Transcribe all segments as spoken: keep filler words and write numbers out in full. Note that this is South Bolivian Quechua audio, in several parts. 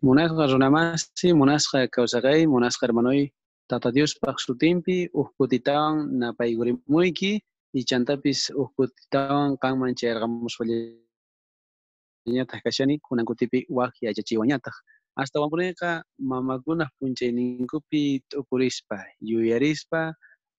Munasqa runamasi, munasqa kawsaqay, munasqa hermanoy, Tata Diospaq sutinpi uj kutitawan napaykurimuyki, ichantapis uj kutitawan qanman chayarqamuspallañataq kashani, kunan kutipi waj yachachiwañataq. Astawanpuniqa mamakunaq p'unchayninkupi t'ukurispa, yuyarispa,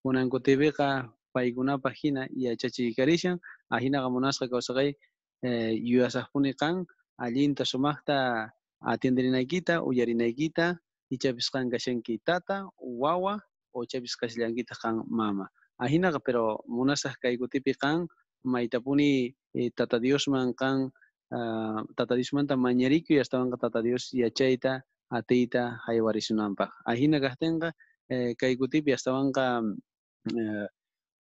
kunan kutipiqa paykunapaq hina yachachiykarishan, ajinaqa munasqa kawsaqay, eh, yuyasaqpuni qan, allinta sumaqta atienderinaykita, uyarinaykita, ichapis qan kashanki tata, wawa, o ichapis kashallankitaq qan mama. Ajinaqa, pero munasaq kay kutipi qan maytapuni eh, Tata Diosman qan, uh, Tata Diosmanta mañarikuy, astawanqa Tata Dios yachayta, atiyta haywarisunanpaq. Ajina kaqtinqa, eh, kay kutipi astawanqa eh,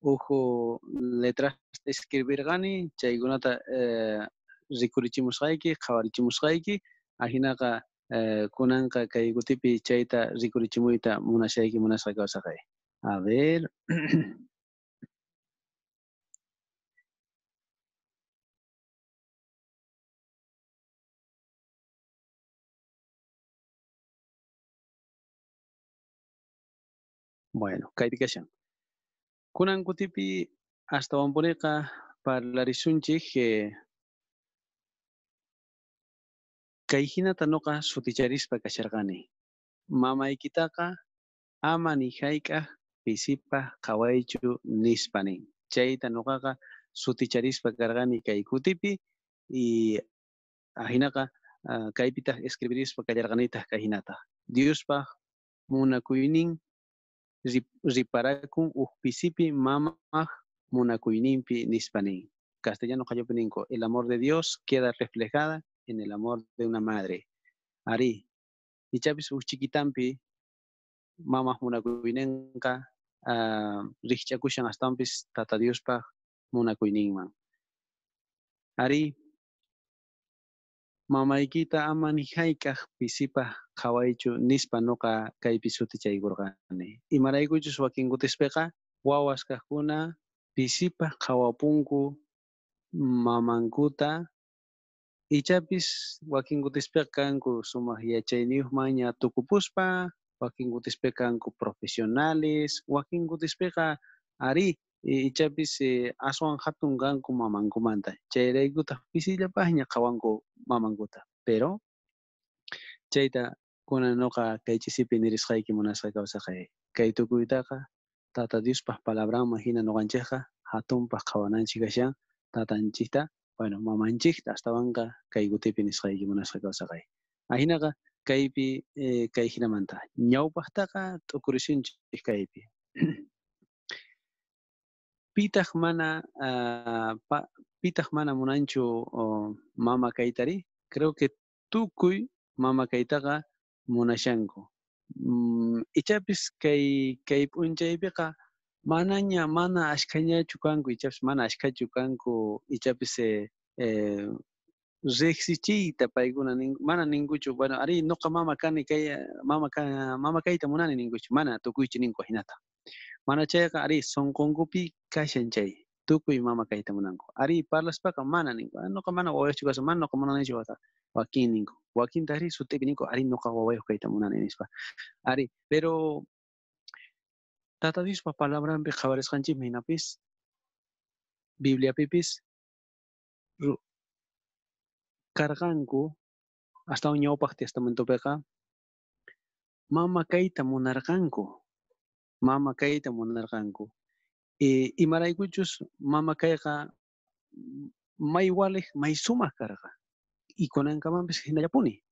uju letrasta escribirqani, chaykunata eh, rikurichimusqayki, qhawarichimusqayki, ajinaqa eh, kunanqa kay kutipi chayta rikurichimuyta munashayki, munasqa kawsaqay. A ver. Bueno, kaypi kashan. Kunan kutipi astawanpuniqa parlarisunchik eh, kay hinata noqa suticharispa kasharqani. Mamaykitaqa ama ni hayk'aq pisipaq qhawaychu nispa nin. Chayta noqaqa suticharispa karqani kay kutipi y ajinaqa uh, kaypitaq escribirispa kallarqanitaq kay hinata. Diospaq munakuynin riparakun uj pisipi mamaj munakuyninpi nispa nin. Castellano qallupi ninku, el amor de Dios queda reflejada en el amor de una madre. Ari, ichapis uj chiquitampi mamaj munakuyninqa uh, rijch'akushan astawanpis Tata Diospaq munakuyninman. Ari, mamaykita ama ni hayk'aq pisipaq qhawaychu nispa noqa kaypi sutichaykurqani. Imaraykuchus wakin kutispiqa wawas kaqkuna pisipaq qhawapunku mamankuta, ichapis wakin kutispiqa kanku sumaq yachayniyuqmanña tukupuspa, wakin kutispiqa kanku profesionales, wakin kutispiqa ari ichapis eh, aswan hatun kanku mamankumanta. Chayraykutaq pisillapaqña qhawanku mamankuta. Pero chayta kunan noqa kay ch'isipi nirisqayki munasqa kawsaqay. Kay tukuytaqa Tata Diospaq palabranman hina noqanchikqa hatunpaq qhawananchik kashan tatanchikta, bueno, mamanchikta astawanqa kay kutipi nisqayki munasqa kawsaqay. Ajinaqa kaypi eh, kay hinamanta. Ñawpaqtaqa t'ukurisunchik kaypi. Pitaq mana uh, pa, pitaq mana munanchu oh, mama kaytari? Creo que tukuy mama kaytaqa munashanku. Mm, ichapis kay kay p'unchaypiqa manaña mana ashkhañachu kanku, ichapis mana ashkhachu kanku, ichapis eh, eh, riqsichiyta paykuna nin, mana ninkuchu, bueno, ari noqa mama kani kay mama ka, mama kayta munani ninkuchu, mana tukuychu ninku hinata. Mana chayqa ari sunqunkupi kashan chay, tukuy mama kayta munanku. Ari parlaspaqa mana ninku, noqa mana wawayuqchu kashan, mana noqa munanichu wata, wakin ninku. Wakintaq ari sutipi ninku, ari noqa wawayuq kayta munani nispa. Ari, pero Tata Diospa palabranpi qhawarisqanchikmi hinapis, Bibliapipis karqanku astawan ñawpaq testamentopiqa mama kayta munarqanku. Mama kayta munarqanku. E, imaraykuchus mama kayqa may waliq, may sumaq karqa. Y kunankamanpis hinallapuni.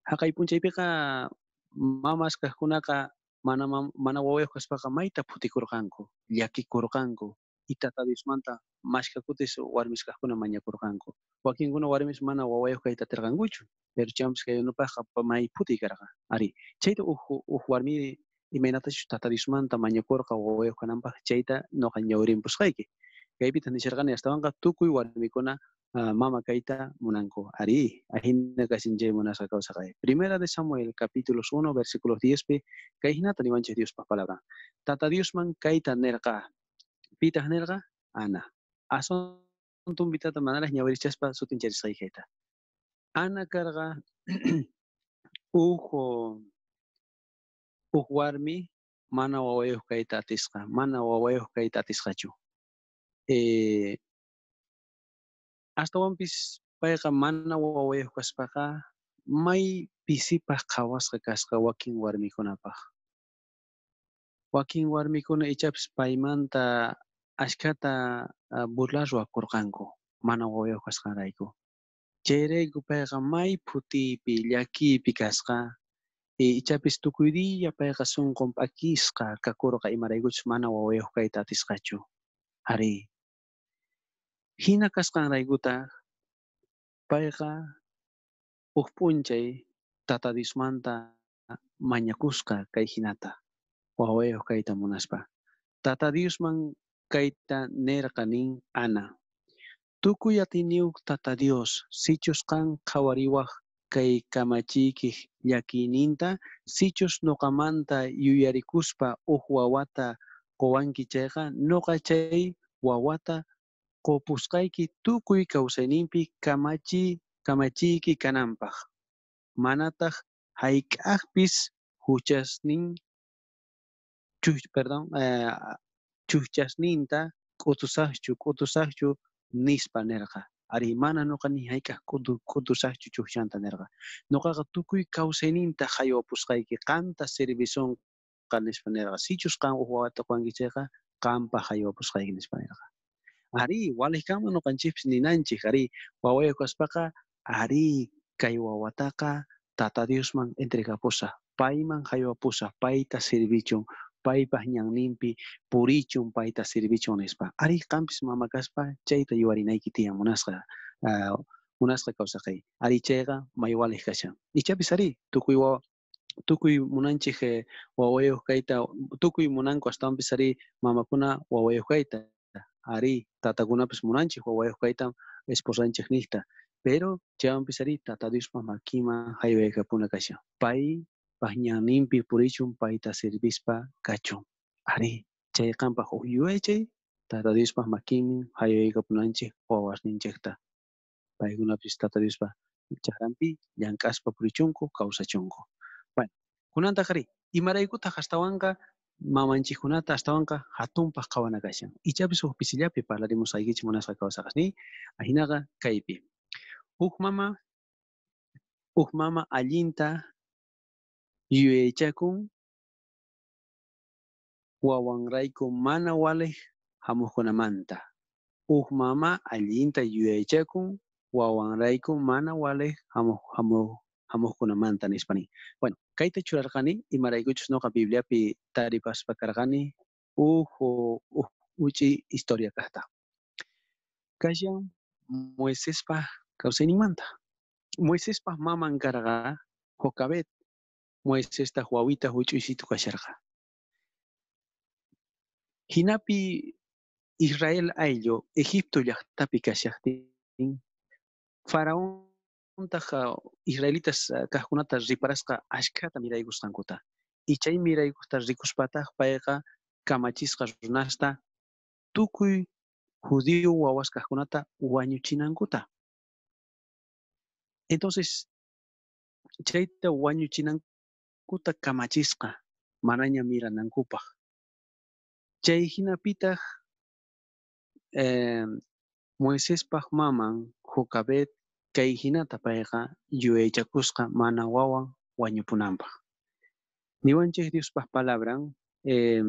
Haqay p'unchaypiqa mamas kaqkunaqa mana mana wawayuq kaspaqa mayta phutikurqanku, llakikurqanku. Y Tata Diosmanta mashka kutis warmis kaqkuna mañakurqanku. Wakinkuna warmis mana wawayuq kayta atirqankuchu, pero chaywanpis kay unupaqqa may phutiy karqa. Ari, chayta uj uj warmi imaynatachus Tata Diosmanta mañakurqa wawayuq kananpaq, chayta noqa ñawrinpusqayki. Kaypitaq nisharqani astawanqa tukuy warmikuna uh, mama kayta munanku. Ari, ajina kashin chay munasqa kawsaqay. Primera de Samuel, capítulos uno, versículos diez pi, kay hinata niwanchik Diospaq palabra. Tata Diosman kayta nerqa. Pitaq nerqa? Ana. Asuntumpitata manaraq ñawirichaspa sutincharisqaykita. Ana karqa uj uj warmi mana wawayuq kayta atisqa, mana wawayuq kayta atisqachu. Eh, astawanpis payqa mana wawayuq kaspaqa may pisipaq qhawasqa kasqa wakin warmikunapaq. Wakin warmikuna ichapis paymanta ashkhata burla ruwakurqanku mana wawayuq kasqanrayku. Chayrayku payqa may phutiypi llakiypi kasqa. Ichapis tukuy diya payqa sunqun p'akisqa kakurqa imaraykuchus mana wawayuq kayta atisqachu. Arí. Hina kasqanraykutaq payqa uj p'unchay Tata Diosmanta mañakusqa kay hinata wawayuq kayta munaspa. Tata Diosman kayta nerqa nin Ana. Tukuy atiyniyuq Tata Dios, sichus qan qhawariwaj kay kamachiykej llakiyninta, sichus noqamanta yuyarikuspa uj wawata qowanki chayqa, noqa chay wawata qopusqayki tukuy kawsayninpi kamachi kamachiyki kananpaq. Manataq hayk'aqpis huchasnin chuch perdón eh, chuchasninta k'utusaqchu k'utusaqchu nispa nerqa. Ari mana noqa ni hayk'aq k'utusaqchu chujchanta nerqa. Noqaqa tukuy kawsayninta haywapusqayki qanta servisonqa nispa nerqa. Sichus qan uj wawata qowanki chayqa qanpaq haywapusqayki nispa nerqa. Ari walej kanman noqanchikpis ninanchik ari wawayuq kaspaqa ari kay wawataqa Tata Diosman entregapusaq, payman haywapusaq, payta servichun, paypaq ñanninpi purichun, payta servichun nispa. Ari qampis mama kaspa chayta yuwarinayki tiyan munasqa uh, munasqa kawsaqay. Ari chayqa may walej kashan. Ichapis ari tukuy wawa tukuy munanchik eh, wawayuq kayta, tukuy munanku astawanpis ari mamakuna wawayuq kayta. Ari tatakunapis munanchik wawayuq kayta esposanchik niqta. Pero chaywanpis ari Tata Diospa makinman haywaykapuna kashan. Pay ñanninpi purichun, payta servispa kachun. Ari chay qanpaq uj yuyaychay Tata Diospa makinman haywaykapunanchik wawasninchikta. Paykunapis Tata Diospa chakranpi llank'aspa purichunku kawsachunku. Bueno, kunantaq ari imaraykutaq astawanqa mamanchikkunata astawanqa hatunpaq qhawana kashan. Ichapis uj pisillapi parlarimusqaykichik munasqa kawsaqasniy. Ajinaqa kaypi. Uj mama, uj mama allinta yuyaychakun wawanrayku mana walej hamuqkunamanta. Uj mama allinta yuyaychakun wawanrayku mana walej hamuq hamuq hamuqkunamanta nispa nin. Bueno, kayta churarqani imaraykuchus noqa Bibliapi taripaspa karqani uj uj uchi historia kaqta. Kashan Moisespa kawsayninmanta. Moisespa maman karqa Jocabed. Moisestaq wawita huch'uysitu kasharqa. Hinapi Israel ayllu Egipto llaqtapi kashaqtin Faraontaq israelitas kaqkunata riparasqa ashkhata miraykusqankuta. Y chay miraykusta rikuspataq payqa kamachisqa runasta tukuy judío wawas kaqkunata wañuchinankuta. Entonces, chayta wañuchinankuta kamachisqa manaña miranankupaq. Chay hinapitaq eh, Moisespaq maman Jocabed kay hinata payqa yuyaychakusqa mana wawan wañupunanpaq. Niwanchik Diospaq palabran eh,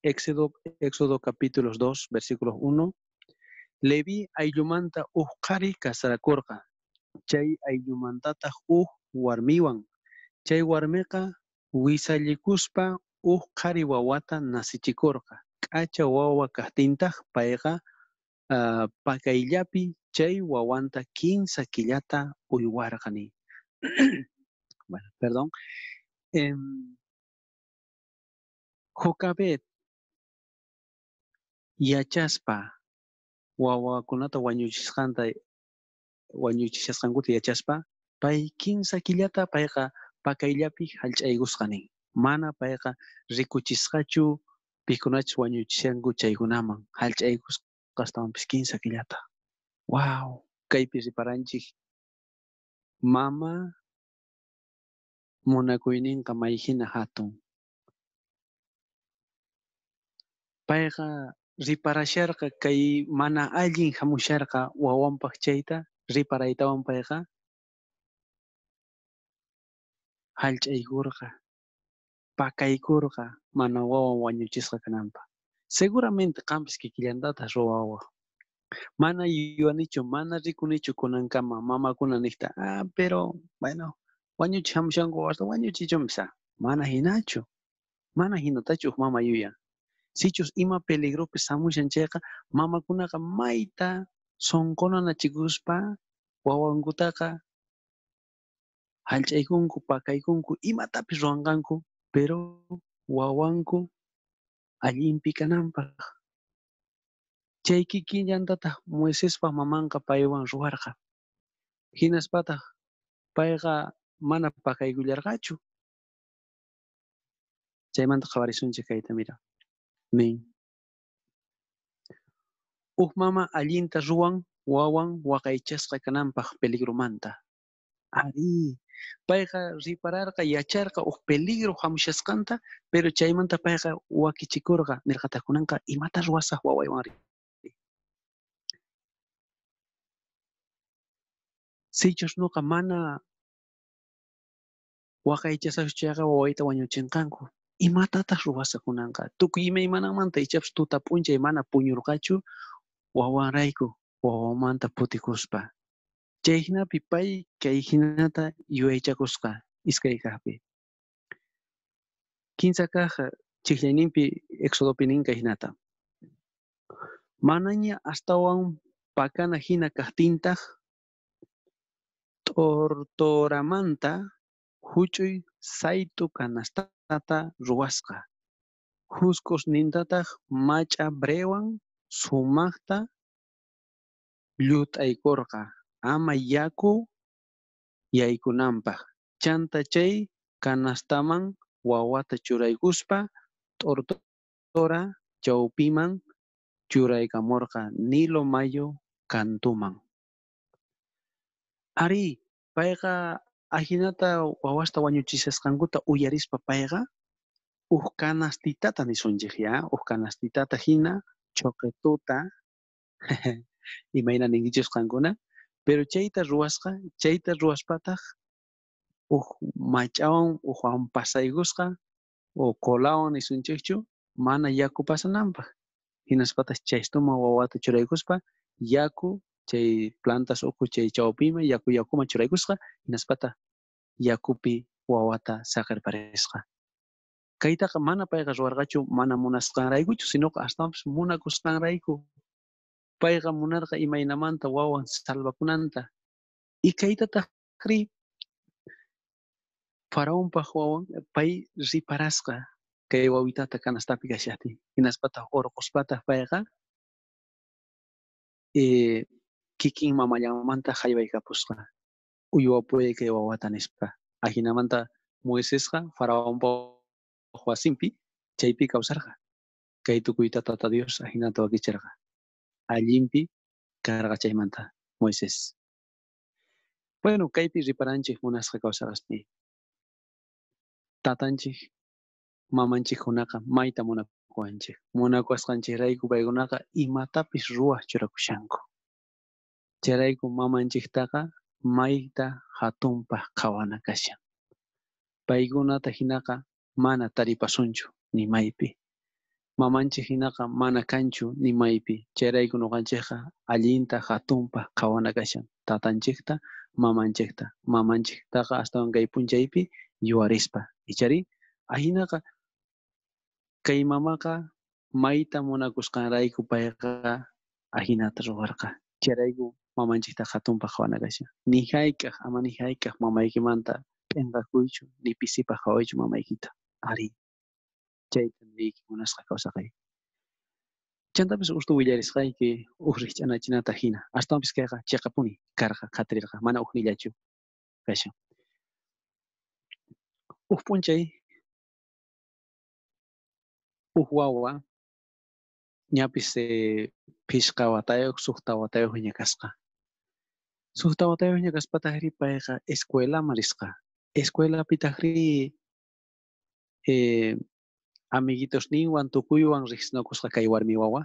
Éxodo, Éxodo capítulos dos, versículos uno. Leví ayllumanta uj qhari kasarakurqa. Chay ayllumantataq uj warmiwan. Chay warmiqa wisallikuspa uj qhari wawata nasichikurqa. K'acha wawa kaqtintaq payqa uh, pakayllapi chay wawanta kinsa killata uywarqa nin. Bueno, perdón. Eh, Jocabed yachaspa wawakunata wañuchisqanta wañuchishasqankuta yachaspa pay kinsa killata payqa pakayllapi hallch'aykusqa nin. Mana payqa rikuchisqachu pikunachus wañuchishanku chaykunaman hallch'aykusqa astawanpis kinsa killata. Wow, kaypi riparanchik Mama munakuyninqa may hina hatun. Payqa riparasharqa kay mana allin hamusharqa wawanpaq chayta riparaytawan payqa hallch'aykurqa, pakaykurqa mana wawan wañuchisqa kananpaq. Seguramente qampis kikillantataq ruwawaq. Mana yuyanichu, mana rikunichu kunankama mamakuna niqta, ah, pero bueno, wañuchi hamushanku wawasta wañuchichunpis, mana hinachu, mana hinatachu huk mama yuyan. Sichus ima peligropis hamushan chayqa, mamakunaqa mayta sunqunanachikuspa wawankutaqa hallch'aykunku, pakaykunku, imatapis ruwanqanku, pero wawanku allinpi kananpaq. Chay kikillantataq Moisespa mamanqa paywan ruwarqa. Hinaspataq payqa mana pakaykullarqachu. Chaymanta qhawarisunchik kayta, mira. Nin. Uj mama allinta ruwan wawan waqaychasqa kananpaq peligromanta. Ari, payqa ripararqa, yacharqa uj peligro hamushasqanta, pero chaymanta payqa wakichikurqa, nirqataq kunanqa imata ruwasaq wawaywan ri. Sichus nuqa mana waqaychasaqchu chayqa wawayta wañuchinqanku. Imatataq ruwasaq kunanqa? Tukuy imaymanamanta ichapas tuta p'unchay mana puñurqachu wawanrayku, wawamanta putikuspa. Chay hinapi pay kay hinata yuyaychakusqa iskay kaqpi. Kinsa kaq chiklayninpi Éxodopi nin kay hinata. Manaña astawan pakana hina kaqtintaq t'ortoramanta huch'uy saytu kanastata ruwasqa. Husk'usnintataq mach'a brewan sumaqta llut'aykurqa ama yaku yaykunanpaq. Chanta chay kanastaman wawata churaykuspa t'ortora chawpiman churaykamurqa Nilo mayu kantuman. Ari, payqa ajinata wawasta wañuchishasqankuta uyarispa payqa uj kanastitata nisunchik ya, uj kanastitata hina choqetuta imayna ninkichis qankuna, pero chayta ruwasqa, chayta ruwaspataq uj mach'awan ujwan pasaykusqa o colawan nisunchikchu mana yaku pasananpaq. Hinaspataq chaystuman wawata churaykuspa yaku chay plantas ukhu chay chawpiman yaku yakuman churaykusqa, hinaspataq yakupi wawata saqirparisqa. Kaytaqa mana payqa ruwarqachu mana munasqanraykuchu, sinoqa astawanpis munakusqanrayku. Payqa munarqa imaynamanta wawan salvakunanta. Y kaytataqri Faraonpaq wawan pay riparasqa kay wawitata kanastapi kashaqtin. Hinaspataq urquspataq payqa eh, kikin mamallanmanta haywaykapusqa. Uywapuyay kay wawata nispa. Ajinamanta Moisesqa Faraonpa wasinpi chaypi kawsarqa. Kay tukuyta Tata Dios ajinata wakicharqa. Allinpi karqa chaymanta Moisés. Bueno, kaypi riparanchik munasqa kawsarqasni. Tatanchik, mamanchikkunaqa mayta munakuwanchik. Munakuwasqanchikrayku paykunaqa imatapis ruwaq churakushanku. Chayrayku mamanchiktaqa mayta hatunpaq qhawana kashan. Paykunata hinaqa mana taripasunchu ni maypi. Mamanchik hinaqa mana kanchu ni maypi. Chayrayku ñuqanchikqa allinta hatunpaq qhawana kashan. Tatanchikta, mamanchikta. Mamanchiktaqa astawan kay p'unchaypi yuwarispa. Ichari ahinaqa kay mamaqa mayta munakusqanrayku payqa ahinata ruwarqa. Chayrayku mamanchikta hatunpaq qhawana kashan. Ni hayk'aq, ama ni hayk'aq mamaykimanta p'inqakuychu, ni pisipaq qhawaychu mamaykita. Ari, chayta niyki munasqa kawsaqay. Chantapis ustu willarisqayki uj rikch'anachinata hina. Astawanpis kayqa chiqapuni karqa, qhatirirqa, mana ujnillachu kashan. Uj p'unchay uj wawa ñapis eh, phishqa watayuq, suqta watayuqña kasqa. Suqta watayuqña kaspatajri payqa escuelaman risqa. Escuelapitajri eh, amiguitosninwan tukuywan riqsinakusqa kay warmi wawa.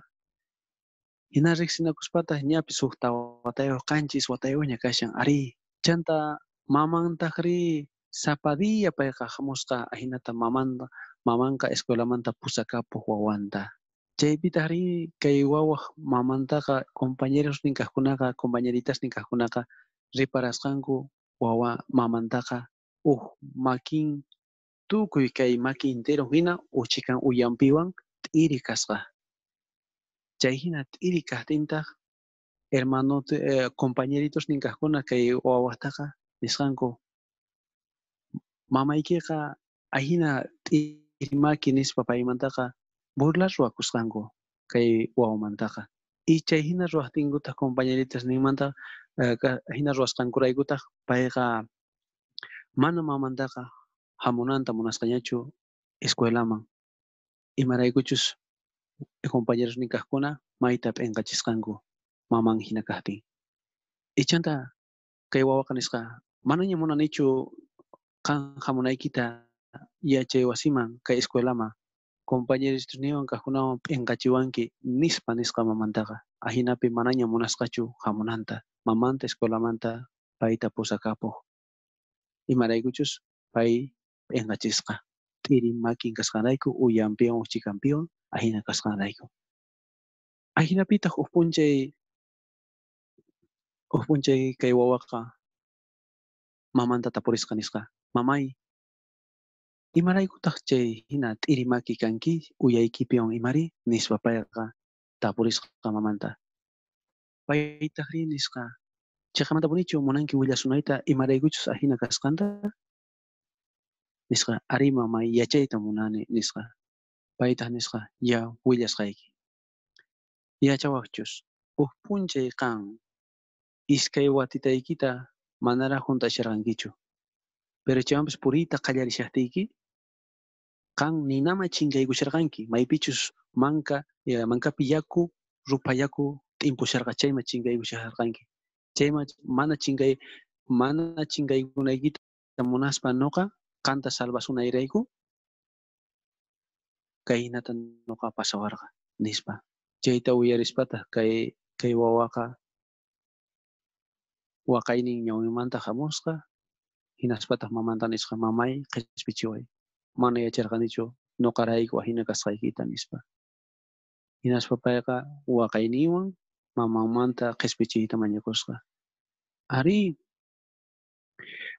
Hina riqsinakuspataq ñapis suqta watayuq qanchis watayuqña kashan. Arí, chanta mamantajri sapa día payqa hamusqa ahinata mamanta mamanqa escuelamanta pusakapuq wawanta. Chaypitajri kay wawaq mamantaqa compañerosnin kaqkunaqa compañeritasnin kaqkunaqa riparasqanku wawa mamantaqa uj makin tukuy kay maki entero hina uchikan uyanpiwan t'iri kasqa. Chay hina t'iri kaqtintaq hermano eh, compañeritosnin kaqkuna kay wawaqtaqa nisqanku mamaykiqa ahina t'iri maki nispa paymantaqa burla ruwakusqanku kay wawamantaqa. Y chay hina ruwaqtinkutaq compañeritas ninmanta eh, hina ruwasqankuraykutaq payqa mana mamantaqa hamunanta munasqañachu escuelaman. Imaraykuchus compañeros kaqkuna mayta p'inqachisqanku maman hina kaqtin. Ichanta kay wawaqa nisqa manaña munanichu qan hamunaykita yachay wasiman kay escuelaman compañeros niwan kaqkunawan p'inqachiwanki nispa nisqa mamantaqa. Ahinapi manaña munasqachu hamunanta mamanta escuelamanta payta pusakapuq. Imaraykuchus pay p'inqachisqa t'iri makin kasqanrayku uyanpiwan uchikanpiwan ahina kasqanrayku. Ahinapitaq huk p'unchay huk p'unchay kay wawaqa mamanta tapurisqa nisqa mamay imaraykutaq chay hina t'iri maki kanki uyaykipiwan imari nispa payqa tapurisqa mamanta. Paytaqri nisqa chiqamantapunichu munanki willasunayta imaraykuchus ahina kasqanta nisqa ari mamay yachayta munani nisqa. Paytaq nisqa ya willasqayki. Yachawaqchus huk p'unchay qan iskay watitaykita manaraq hunt'asharqankichu. Pero chaywanpis puriyta qallarishaqtiyki qan ninaman chinkaykusharqanki maypichus manka mankapi yaku rupha yaku t'impusharqa chayman chinkaykusharqanki. Chayman mana chinkay mana chinkaykunaykita munaspa nuqa qanta salvasunayrayku kayhinata nuqa pasawarqa nispa. Chayta uyarispataq kay kay wawaqa waqaynin ñawinmanta hamusqa hinaspataq mamanta nisqa mamay qhispichiway mana yacharqanichu nuqarayku ahina kasqaykita nispa. Hinaspa payqa waqayninwan mamanmanta qhispichiyta mañakusqa. Arí,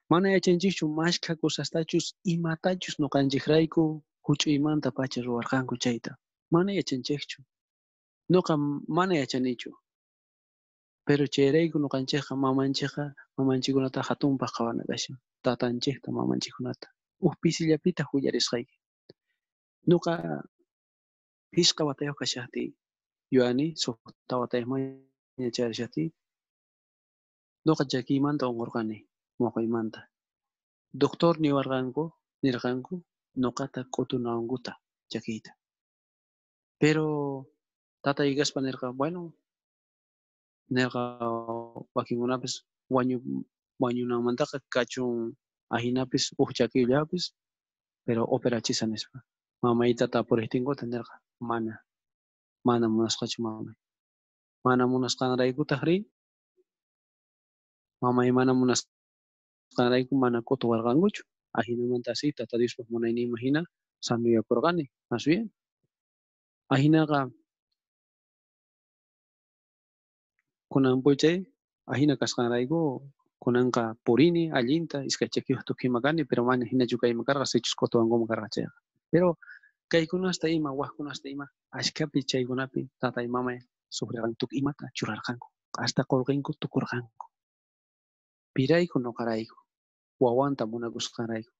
mana yachanchikchu mashkha cosastachus imatachus nuqanchikrayku huch'uymanta pacha ruwarqanku chayta. Mana yachanchikchu. Nuqa mana yachanichu. Pero chayrayku nuqanchikqa mamanchikqa mamanchikkunata hatunpaq qhawana kashan. Tatanchikta mamanchikkunata. Huk pisillapitaq willarisqayki. Nuqa pishqa watayuq kashaqtiy yuyani suqta watayuqmanña chayarishaqtiy nuqa chakiymanta unqurqani muqaymanta. Doctor niwarqanku nirqanku nuqata k'utunawankuta chakiyta. Pero tatay kaspa nirqa bueno nirqa wakinkunapis wañu wañunanmantaqa kachun ahinapis huk chakiyllapis pero operachisa nispa. Mamayta tapuriqtinkuta nirqa mana mana munasqachu mamay. Mana munasqanraykutaqri mamay mana munasqanrayku mana k'utuwarqankuchu. Ahinamanta así tata Diospaq munayninman hina sanuyakurqani más bien. Ahinaqa kunan p'unchay ahina kasqanrayku kunanqa purini allinta iskay chakiyuq tukuyma kani pero mana hinachu kayman karqa sichus k'utuwankuman karqa chayqa. Pero kaykunasta ima waqkunasta ima ashkapi chaykunapi tatay mamay sufrirqanku tukuy imata churarqanku hasta qullqinku tukurqanku. Pirayku nuqarayku wawanta munakusqanrayku.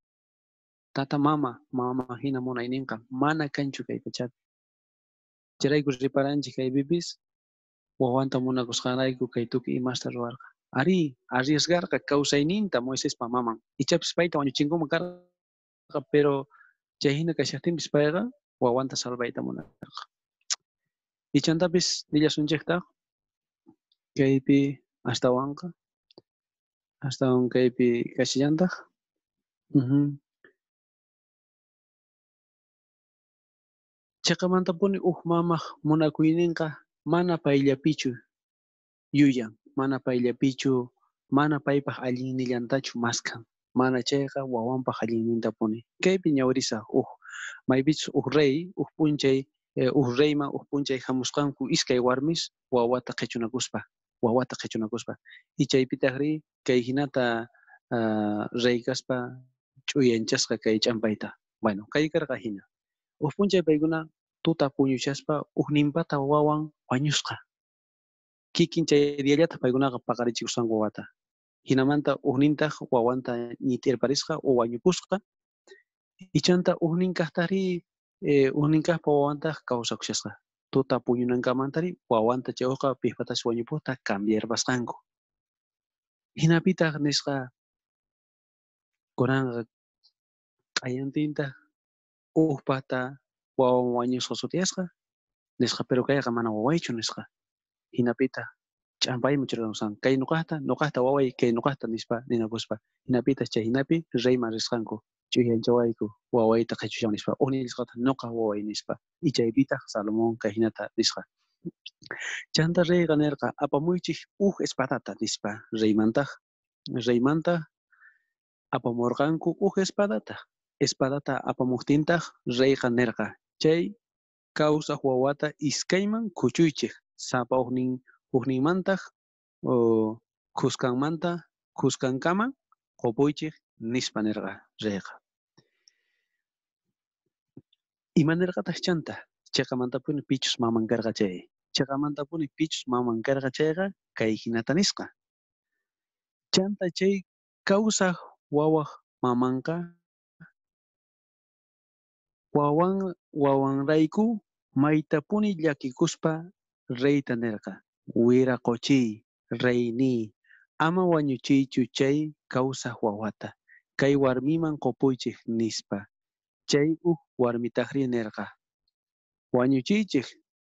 Tata mama mama hina munayninqa mana kanchu kay pachapi. Chayrayku riparanchik kaypipis wawanta munakusqanrayku kay tukuy imasta ruwarqa. Arí, arriesgarqa kawsayninta Moisespa maman. Ichapis payta wañuchinkuman karqa, pero chay hina kashaqtinpis payqa wawanta salvayta munarqa. Ichantapis nillasunchiktaq kaypi astawanqa Astawan kaypi kashallantaj. Uh-huh. Cheqamantapuni uj mamaj munakuyninqa mana payllapichu yuyan, mana payllapichu, mana paypaj allinnillantachu maskhan, mana chayqa wawanpaj allinnintapuni. Kaypi ñawirisaj uj maypichus uj rey, uj p'unchay, uj reyman uj p'unchay jamusqanku iskay warmis wawata qhichunakuspa, wawata qhichunakuspa. Y chaypitajri kay hinata uh, rey kaspa ch'uyanchasqa kay ch'ampayta. Bueno, kay karqa hina. Uj p'unchay paykuna tuta puñushaspa ujninpata wawan wañusqa. Kikin chay diallataq paykunaqa paqarichikusqanku wawata. Hinamanta ujnintaq wawanta ñit'irparisqa o wañupusqa. Ichanta ujnin kaqtari eh, ujnin kaqpa wawantaq kawsakushasqa. Tuta puñunankamantari wawanta chay uqa pijpatash wañupuqta cambiarpasqanku. Hinapitaq nisqa kunanqa q'ayantintaq ujpata wawan wañusqa sutiyasqa nisqa, pero kayqa mana wawaychu nisqa. Hinapitaq ch'ampayman churarusqanku kay nuqaqta, nuqaqta waway, kay nuqaqta nispa ninakuspa. Hinapitaq chay hinapi reyman risqanku ch'uyanchawayku wawayta qhichushan nispa, ujnin nisqataq nuqa waway nispa. Y chaypitaq Salomón kay hinata nisqa. Chanta reyqa nirqa apamuychik uj espadata nispa. Reymantaq reymanta apamurqanku uj espadata. Espadata apamuqtintaq reyqa nirqa chay kawsaq wawata iskayman kuchuychik sapa ujnin ujninmantaq khuskanmanta khuskankama qupuychik nispa nirqa reyqa. Ima nirqataq chanta? Cheqamantapuni pichus maman karqa chay. Cheqamantapuni pichus maman karqa chayqa kay hinata nisqa. Chanta chay kawsaq wawaq mamanqa wawan wawanrayku maytapuni llakikuspa reyta nirqa. Wiraqochiy, reyniy, ama wañuchiychu chay kawsaq wawata, kay warmiman qupuychik nispa. Chay uj warmitajri nirqa. Wañuchiychik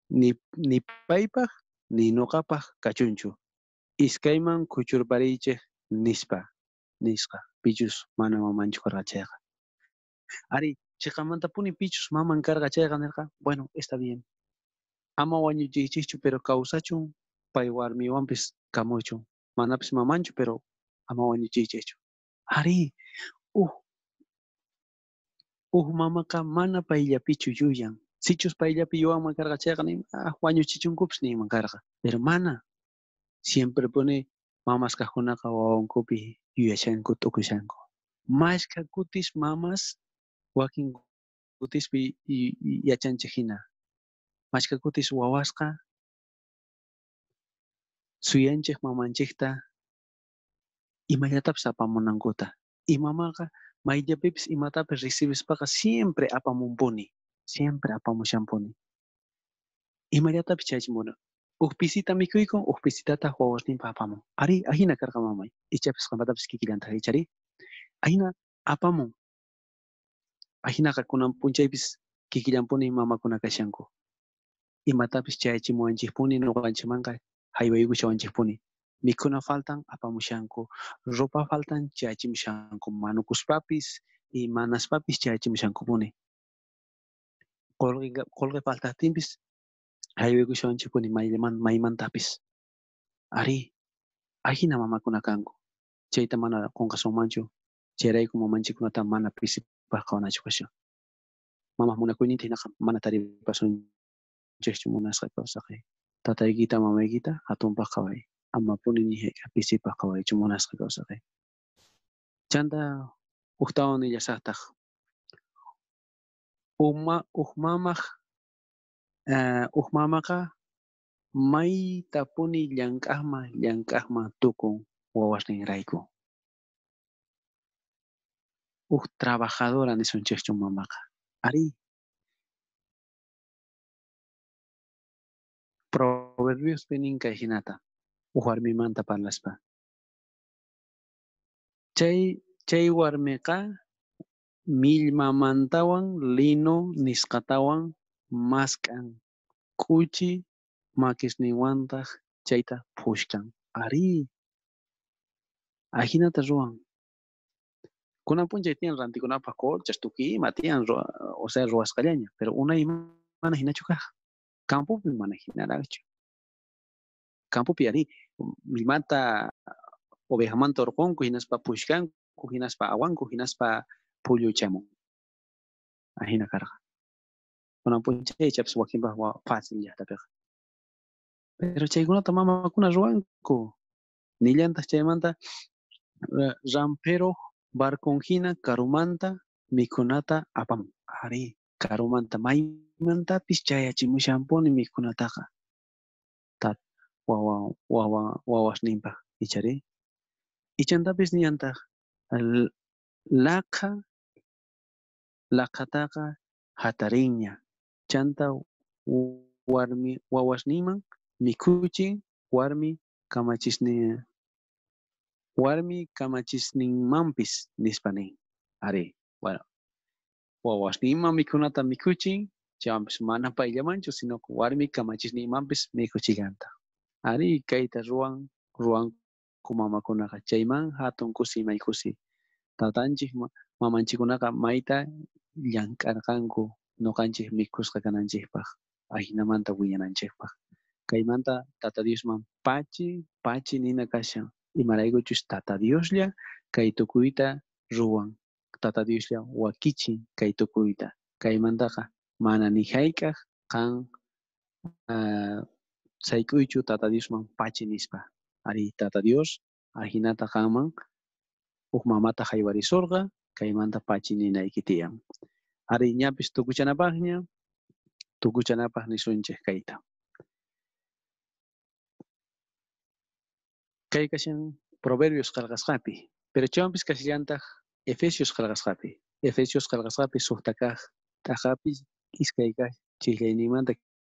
ni, ni paypaj ni nuqapaj kachunchu. Iskayman kuchurpariychik nispa, nisqa. Pichus mana mamanchu karqa chayqa. Ari, chiqamantapuni pichus maman karqa chayqa nirqa, bueno, está bien. Ama wañuchiychikchu, pero kawsachun pay warmiwanpis kamuchun. Manapis mamanchu, pero ama wañuchiychikchu. Ari, uj uj mamaqa mana payllapichu yuyan. Sichus payllapi yuwanman karqa chayqa nin, ah, wañuchichunkupis ninman karqa. Pero mana. Siempre pone mamas kaqkunaqa wawankupi yuyashanku, t'ukushanku. Mashkha kutis mamas wakin kutispi yachanchik hina. Mashkha kutis wawasqa suyanchik mamanchikta imallatapis apamunankuta. Y mamaqa mayllapipis imatapis recibispaqa siempre apamunpuni. Siempre apamushanpuni. Imallatapis chaychimuna. Uj pisita mikhuykun, uj pisitataq wawasninpaq apamun. Ari, ahina karqa mamay. Ichapis qanpatapis kikillantaq ichari. Ahina apamun. Ahinaqa kunan p'unchaypis kikillanpuni mamakuna kashanku. Imatapis chayachimuwanchikpuni nuqanchikmanqa haywaykushawanchikpuni. Mikhuna faltan apamushanku, ropa faltan chayachimushanku, manukuspapis y manaspapis chayachimushankupuni. Qolqe qolqe faltaqtinpis haywaykushawanchikpuni mayman maymantapis. Ari, ahina mamakuna kanku. Chayta mana qunqasunmanchu. Chayrayku mamanchikkunata mana pisipaq qhawanachu kashan. Mamaq munakuyninta hinaqa mana taripasunchikchu munasqa kawsaqay. Tataykita mamaykita hatunpaq qhaway. Amapuni ni hayk'aq pisipaq qhawaychu munasqa kawsaqay. Chanta ujtawan nillasaqtaq. Uma uj mamaq uh, uj mamaqa maytapuni llank'aqman llank'aqman tukun wawasninrayku. Uj trabajadora nisunchikchu mamaqa. Ari. Proverbiospi nin kay hinata. Uj warmimanta parlaspa. Chay chay warmiqa millmamantawan lino nisqatawan mask'an k'uchi makisninwantaq chayta phushkan. Ari. Ajinata ruwan. Kunan p'unchay tiyan rantikunapaj colchas, tukuy ima tiyan, o sea, ruwasqallaña, pero unay mana hinachu kaj. Campopi mana hinaraqchu. Campopi ari millmata ovejamanta urqunku, hinaspa pushkanku, hinaspa awanku, hinaspa pulluchamun. Ajina karqa. Kunan p'unchay ichapis wakinpaj fácil llaqtapiqa. Pero chaykunata mamakuna ruwanku. Nillantaq chaymanta rampero barcon hina karumanta mikhunata apamun. Ari, karumanta maymantapis chayachimushanpuni mikhunataqa. Tat wawa wawa wawasninpaj ichari. Ichantapis nillantaq laqha laqhataqa hatarinña. Chanta warmi wawasninman mikhuchin warmi kamachisnin warmi kamachisninmanpis nispa nin. Ari, bueno, wawasninman mikhunata mikhuchin, chaywanpis mana payllamanchu, sino warmi kamachisninmanpis mikhuchillanta. Ari, kayta ruwan ruwanku mamakunaqa, chayman hatun kusi may kusi. Tatanchik mamanchikkunaqa mayta llank'arqanku noqanchik mikhusqa kananchikpaj, ajinamanta wiñananchikpaj. Kaymanta Tata Diosman pachi, pachi nina kashan. Imaraykuchus Tata Dioslla kay tukuyta ruwan. Tata Dioslla wakichin kay tukuyta. Kaymantaqa mana ni hayk'aj qan uh, sayk'uychu Tata Diosman pachi nispa. Ari, Tata Dios ajinata qanman huk mamata haywarisurqa, kaymanta pachi ninayki tiyan. Ari, ñapis tukuchanapaqña, tukuchanapaq nisunchik kayta. Kay kashan Proverbios qillqasqapi, pero chaywanpis kashallantaq Efesios qillqasqapi. Efesios qillqasqapi suqta kaq t'aqapi iskay kaq chiqllayninmanta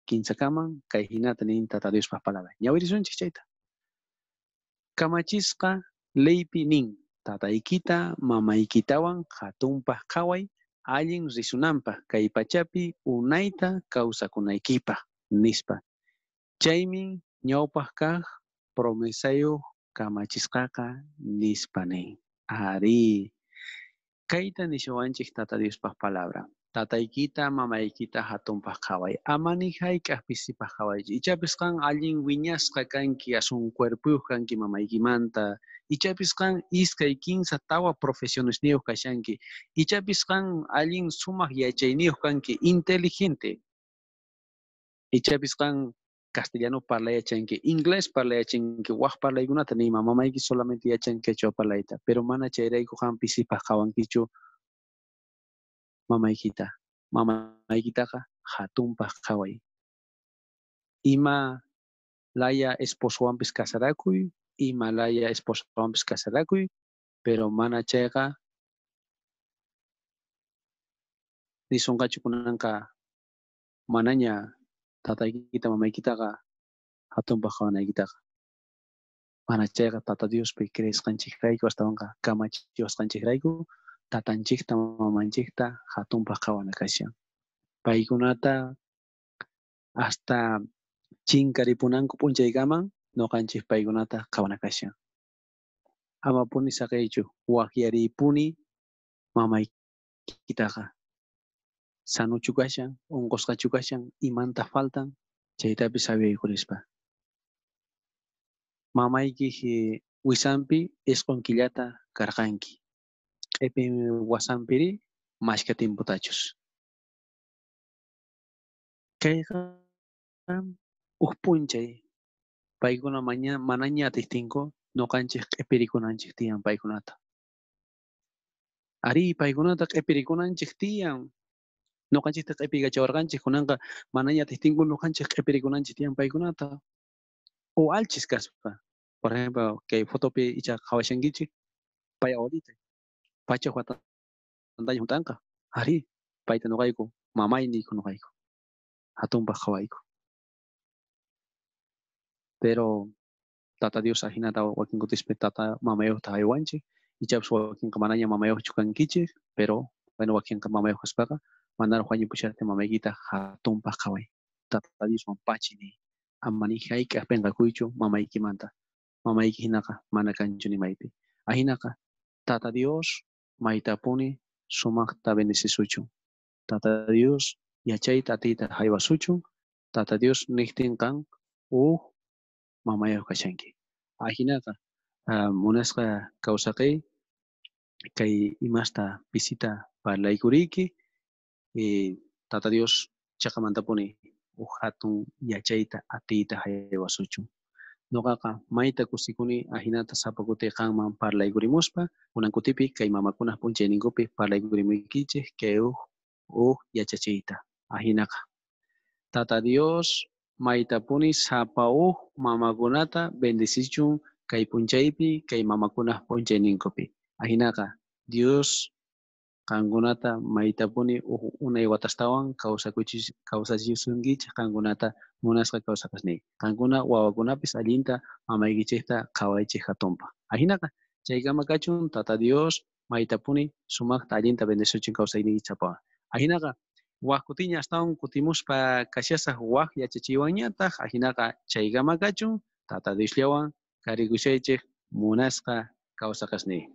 kinsakaman kay hinata nin Tata Diospaj palabra. Ñawirisunchik chayta. Kamachisqa leypi nin, tataykita mamaykitawan hatunpaj qhaway allin risunanpaj kay pachapi unayta kawsakunaykipaj nispa. Chaymi ñawpaj kaq promesayuq kamachisqaqa nispa nin. Ari, kayta nishawanchik Tata Diospaj palabra. Tataykita mamaykita hatunpaj qhaway. Ama ni hayk'aj pisipaj qhawaychu. Ichapis qan allin wiñasqa kanki, asun cuerpuyuq kanki mamaykimanta. Ichapis qan iskay kinsa tawa profesionesniyuq kashanki. Ichapis qan allin sumaq yachayniyuq kanki, inteligente. Ichapis qan castellano parlay yachanki, inglés parlay yachanki, waj parlaykunata nima, mamayki solamente yachan quechua parlayta, pero mana chayrayku qan pisipaj qhawankichu mamaykita. Mamaykitaqa hatunpaj qhaway. Ima laya esposowanpis casarakuy, ima laya esposowanpis casarakuy, pero mana chayqa nisunqachu kunanqa manaña tataykita mamaykitaqa hatunpaj qhawanaykitaqa. Mana chayqa Tata Diospi creesqanchikrayku astawanqa kamachiwasqanchikrayku tatanchikta mamanchikta hatunpaj qhawana kashan. Paykunata hasta chinkaripunanku p'unchaykaman noqanchik paykunata qhawana kashan. Amapuni saqiychu, waqyariypuni mamaykitaqa. Sanuchu kashan, unqusqachu kashan, imanta faltan, chaytapis sabiaykurispa. Mamayki wisanpi isqun killata karqanki. Q'ipin wasanpiri mashka tiempotachus. Kayqa huk p'unchay paykuna maña manaña atiqtinku noqanchik q'ipirikunanchik tiyan paykunata. Ari, paykunata q'ipirikunanchik tiyan. Noqanchikta q'ipiykachawarqanchik kunanqa manaña atiqtinku noqanchik q'ipirikunanchik tiyan paykunata. O alchis kaspa. Por ejemplo, kay fotopi icha qhawashankichik pay abuelita. Pachaj watantaña hunt'anqa. Ari, payta noqayku, mamay niyku noqayku. Hatunpaj qhawayku. Pero Tata Dios ajinata wakin kutispi tata mamayuqta haywanchik. Ichapis wakinqa manaña mamayuqchu kankichik, pero bueno, wakinqa mamayuq kaspaqa manaraq wañupushaqtin mamaykita hatunpaj qhaway. Tata Diosman pachi niy. Ama ni hayk'aj p'inqakuychu mamaykimanta. Mamayki hinaqa mana kanchu nimaypi. Ajinaqa Tata Dios maytapuni sumajta bendecisuchun. Tata Dios yachayta atiyta jaywasuchun. Tata Dios nejtin qan uj mamayoj kashanki. Ajinaqa munasqa kawsaqey kay imasta pisita parlaykuriyki, Tata Dios chaqamantapuni uj jatun yachayta atiyta jaywasuchun. Noqaqa mayta kusikuni ajinata sapa kuti qanman parlaykurimuspa, kunan kutipi kay mamakunaj p'unchayninkupi parlaykurimuykichej kay uj uj yachachiyta. Ajinaqa Tata Dios maytapuni sapa uj mamakunata bendecichun kay p'unchaypi kay mamakunaj p'unchayninkupi. Ajinaqa Dios qankunata maytapuni uj unay watastawan kawsakuchis kawsachisunkichej qankunata munasqa kawsaqasniy. Qankuna wawakunapis allinta mamaykichejta qhawaychej jatunpaj. Ajinaqa chaykama kachun Tata Dios maytapuni sumajta allinta bendecichun kawsayniykichejpawan. Ajinaqa waj kutiña astawan kutimuspa kashasaj waj yachachiywanñataj. Ajinaqa chaykama kachun Tata Diosllawan karikushaychej munasqa kawsaqasniy.